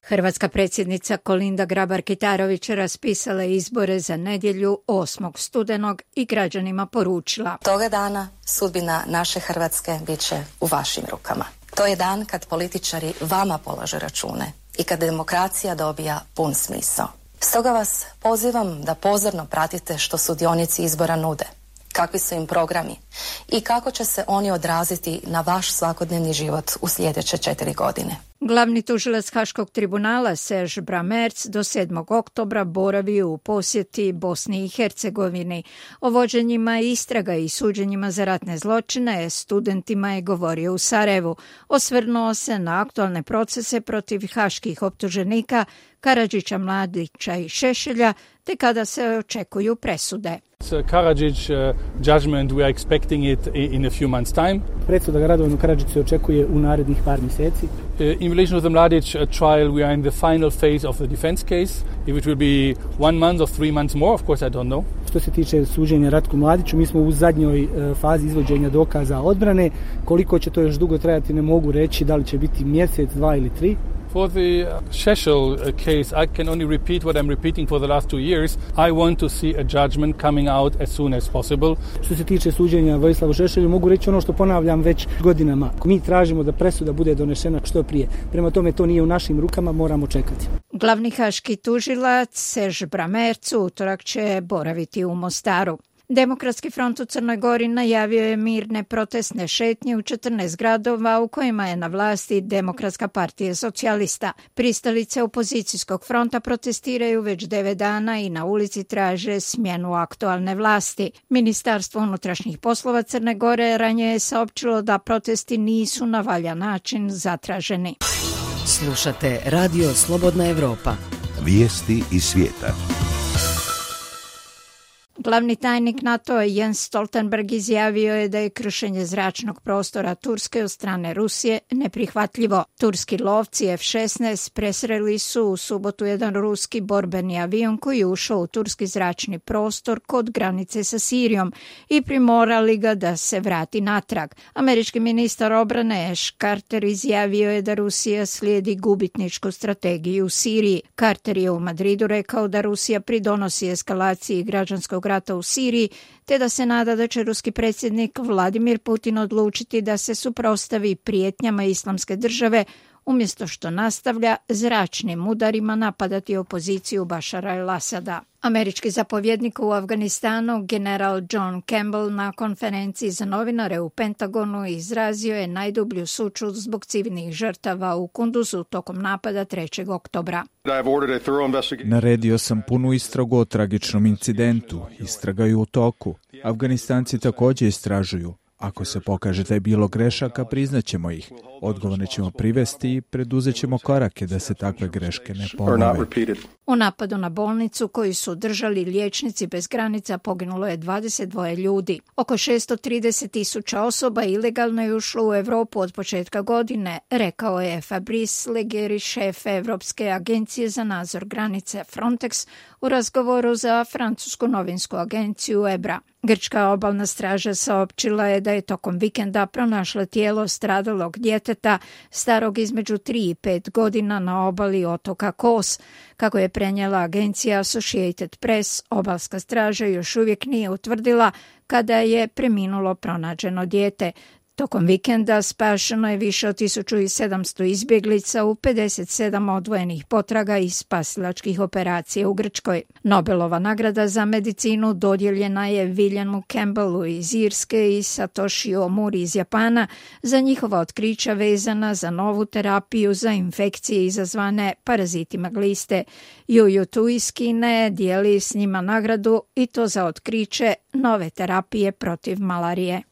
Hrvatska predsjednica Kolinda Grabar-Kitarović raspisala je izbore za nedjelju 8. studenog i građanima poručila: Toga dana sudbina naše Hrvatske bit će u vašim rukama. To je dan kad političari vama polažu račune i kad demokracija dobija pun smisao. Stoga vas pozivam da pozorno pratite što sudionici izbora nude, kakvi su im programi i kako će se oni odraziti na vaš svakodnevni život u sljedeće 4 godine. Glavni tužilac Haškog tribunala Serge Bramertz do 7. oktobra boravio u posjeti Bosni i Hercegovini. O vođenjima istraga i suđenjima za ratne zločine studentima je govorio u Sarajevu. Osvrnuo se na aktualne procese protiv haških optuženika Karadžića, Mladića i Šešelja, te kada se očekuju presude. Karadžić judgment, we are expecting it in a few months time. Presuda Radovanu Karadžiću se očekuje u narednih par mjeseci. In relation to the Mladić trial, we are in the final phase of the defense case. If it will be 1 month or 3 months more, of course I don't know. Što se tiče suđenja Ratku Mladiću, mi smo u zadnjoj fazi izvođenja dokaza odbrane. Koliko će to još dugo trajati ne mogu reći, da li će biti mjesec, 2 ili 3. For the Šešelj case, I can only repeat what I'm repeating for the last 2 years. I want to see a judgment coming out as soon as possible. Što se tiče suđenja Vojislavu Šešelju, mogu reći ono što ponavljam već godinama. Mi tražimo da presuda bude donešena što prije. Prema tome, to nije u našim rukama, moramo čekati. Glavni haški tužilac Serge Bramertz utorak će boraviti u Mostaru. Demokratski front u Crnoj Gori najavio je mirne protestne šetnje u 14 gradova u kojima je na vlasti Demokratska partija socijalista. Pristalice opozicijskog fronta protestiraju već 9 dana i na ulici traže smjenu aktualne vlasti. Ministarstvo unutrašnjih poslova Crne Gore ranije je saopćilo da protesti nisu na valjan način zatraženi. Slušate Radio Slobodna Evropa. Vijesti iz svijeta. Glavni tajnik NATO-a Jens Stoltenberg izjavio je da je kršenje zračnog prostora Turske od strane Rusije neprihvatljivo. Turski lovci F-16 presreli su u subotu jedan ruski borbeni avion koji je ušao u turski zračni prostor kod granice sa Sirijom i primorali ga da se vrati natrag. Američki ministar obrane Ash Carter izjavio je da Rusija slijedi gubitničku strategiju u Siriji. Carter je u Madridu rekao da Rusija pridonosi eskalaciji građanskog rata u Siriji, te da se nada da će ruski predsjednik Vladimir Putin odlučiti da se suprotstavi prijetnjama Islamske države umjesto što nastavlja zračnim udarima napadati opoziciju Bašara el-Asada. Američki zapovjednik u Afganistanu, general John Campbell, na konferenciji za novinare u Pentagonu izrazio je najdublju sućut zbog civilnih žrtava u Kunduzu tokom napada 3. oktobra. Naredio sam punu istragu o tragičnom incidentu. Istraga je u toku. Afganistanci također istražuju. Ako se pokaže da je bilo grešaka, priznaćemo ih. Odgovorne ćemo privesti i preduzet ćemo korake da se takve greške ne ponove. U napadu na bolnicu koju su držali liječnici bez granica poginulo je 22 ljudi. Oko 630.000 osoba ilegalno je ušlo u Europu od početka godine, rekao je Fabrice Leggeri, šef Europske agencije za nadzor granice Frontex, u razgovoru za francusku novinsku agenciju EBRA. Grčka obalna straža saopćila je da je tokom vikenda pronašla tijelo stradalog djeteta starog između 3 i 5 godina na obali otoka Kos. Kako je prenijela agencija Associated Press, obalska straža još uvijek nije utvrdila kada je preminulo pronađeno dijete. Tokom vikenda spašeno je više od 1700 izbjeglica u 57 odvojenih potraga i spasilačkih operacija u Grčkoj. Nobelova nagrada za medicinu dodijeljena je Williamu Campbellu iz Irske i Satoshi Omuri iz Japana za njihova otkrića vezana za novu terapiju za infekcije izazvane parazitima gliste. Juju Tu iz Kine dijeli s njima nagradu i to za otkriće nove terapije protiv malarije.